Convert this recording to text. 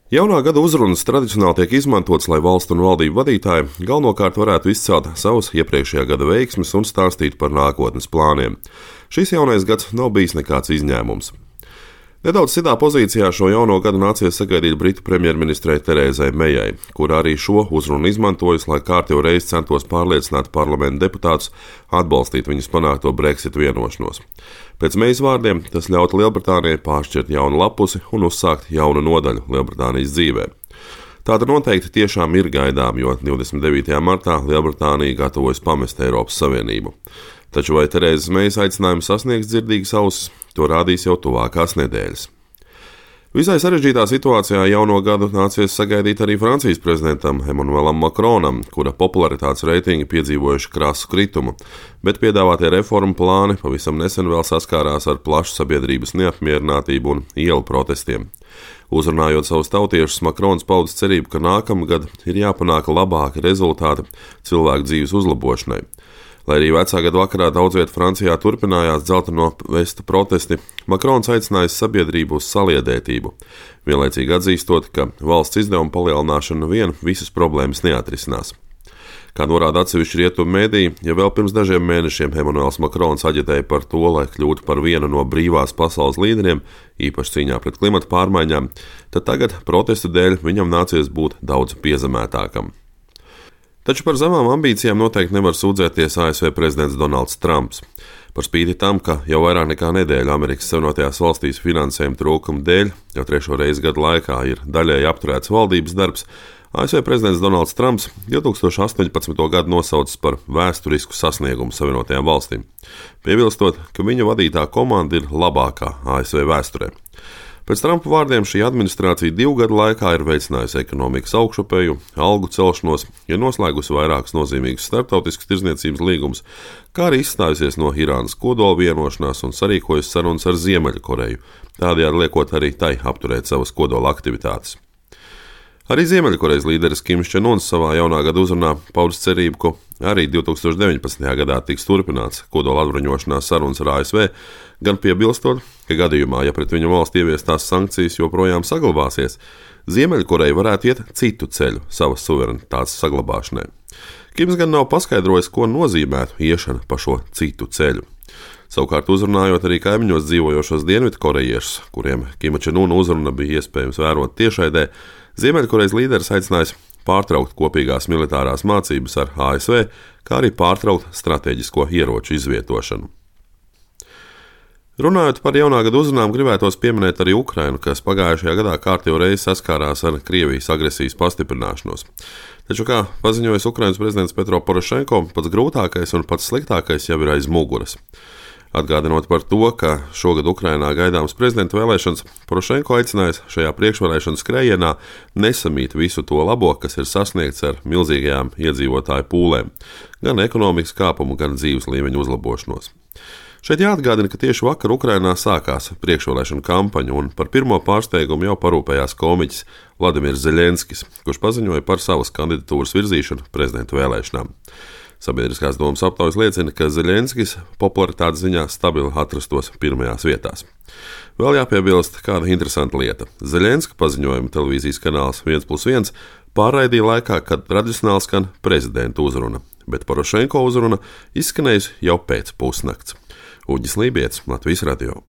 Jaunā gada uzrunas tradicionāli tiek izmantotas, lai valstu un valdību vadītāji galvenokārt varētu izcelt savus iepriekšējā gada veiksmes un stāstīt par nākotnes plāniem. Šis jaunais gads nav bijis nekāds izņēmums. Nedaudz citā pozīcijā šo jauno gadu nācies sagaidīt Britu premjerministrei Terēzai Mejai, kur arī šo uzrunu izmantojusi, lai kārtējo reizi centos pārliecināt parlamenta deputātus atbalstīt viņas panākto Brexit vienošanos. Pēc Mejas vārdiem tas ļautu Lielbritānijai pāršķirt jaunu lapusi un uzsākt jaunu nodaļu Lielbritānijas dzīvē. Tāda noteikti tiešām ir gaidām, jo 29. martā Lielbritānija gatavojas pamest Eiropas Savienību. Taču vai Terēzes Mejas aicinājums sasniegs dzirdīgas ausis, to rādīs jau tuvākās nedēļas. Visai sarežģītā situācijā jauno gadu nācies sagaidīt arī Francijas prezidentam Emmanuelam Macronam, kura popularitātes reitingi piedzīvojuši krasu kritumu, bet piedāvātie reformu plāni pavisam nesen vēl saskārās ar plašu sabiedrības neapmierinātību un ielu protestiem. Uzrunājot savus tautiešus, Macrons paudis cerību, ka nākamgad ir jāpanāk labāki rezultāti cilvēku dzīves uzlabošanai. Lai arī vecā gada vakarā daudz vietā Francijā turpinājās dzelteno vesta protesti, Macrons aicinājis sabiedrību uz saliedētību, vienlaicīgi atzīstot, ka valsts izdevuma palielināšana vien visas problēmas neatrisinās. Kā norāda atsevišķi rietumu mēdīji, ja vēl pirms dažiem mēnešiem Emmanuels Macrons aģitēja par to, lai kļūtu par vienu no brīvās pasaules līderiem, īpaši cīņā pret klimata pārmaiņām, tad tagad protestu dēļ viņam nācies būt daudz piezemētākam. Taču par zemām ambīcijām noteikti nevar sūdzēties ASV prezidents Donalds Trumps. Par spīti tam, ka jau vairāk nekā nedēļu Amerikas Savienotajās valstīs finansējuma trūkuma dēļ jau trešo reizi gadu laikā ir daļēji apturēts valdības darbs, ASV prezidents Donalds Trumps 2018. gadu nosaucis par vēsturisku sasniegumu Savienotajām valstīm, piebilstot, ka viņa vadītā komanda ir labākā ASV vēsturē. Pēc Trumpa vārdiem šī administrācija 2 gadu laikā ir veicinājusi ekonomikas augšupeju, algu celšanos, ir noslēgusi vairākus nozīmīgus starptautiskus tirdzniecības līgumus, kā arī izstājusies no Irānas kodola vienošanās un sarīkojusi sarunas ar Ziemeļkoreju, tādējādi liekot arī tai apturēt savas kodola aktivitātes. Arī Ziemeļkorejas līderis Kims Čen Uns savā jaunā gada uzrunā paudis cerību, ka arī 2019. gadā tiks turpināts kodola atbruņošanās sarunas ar ASV, gan piebilstot, ka gadījumā, ja pret viņu valsts ieviestās sankcijas joprojām saglabāsies, Ziemeļkoreja varētu iet citu ceļu savas suverenitātes saglabāšanai. Kims gan nav paskaidrojis, ko nozīmētu iešana pa šo citu ceļu. Savukārt uzrunājot arī kaimiņos dzīvojošos dienvidkorejiešus, kuriem Kima Čen Una uzruna bija iespējams vērot tiešraidē, Ziemeļkorejas līderis aicinājis pārtraukt kopīgās militārās mācības ar ASV, kā arī pārtraukt stratēģisko ieroču izvietošanu. Runājot par jaunā gada uzrunām, gribētos pieminēt arī Ukrainu, kas pagājušajā gadā kārtējo reizi saskārās ar Krievijas agresijas pastiprināšanos. Taču, kā paziņojas Ukrainas prezidents Petro Porošenko, pats grūtākais un pats sliktākais jau ir aiz muguras. Atgādinot par to, ka šogad Ukrainā gaidāmas prezidenta vēlēšanas, Porošenko aicinājis šajā priekšvēlēšanu skrējienā nesamīt visu to labo, kas ir sasniegts ar milzīgajām iedzīvotāju pūlēm, gan ekonomikas kāpumu, gan dzīves līmeņa uzlabošanos. Šeit jāatgādina, ka tieši vakar Ukrainā sākās priekšvēlēšanu kampaņa, un par pirmo pārsteigumu jau parūpējās komiķis Vladimirs Zeļenskis, kurš paziņoja par savas kandidatūras virzīšanu prezidenta vēlēšanām. Sabiedriskās domas aptaujas liecina, ka Zeļenskis popularitātes ziņā stabili atrastos pirmajās vietās. Vēl jāpiebilst kāda interesanta lieta. Zeļenska paziņojuma televīzijas kanāls 1+1 pārraidīja laikā, kad tradicionāli skan prezidenta uzruna, bet Porošenko uzruna izskanējusi jau pēc pusnakts. Uģis Lībietis, Latvijas radio.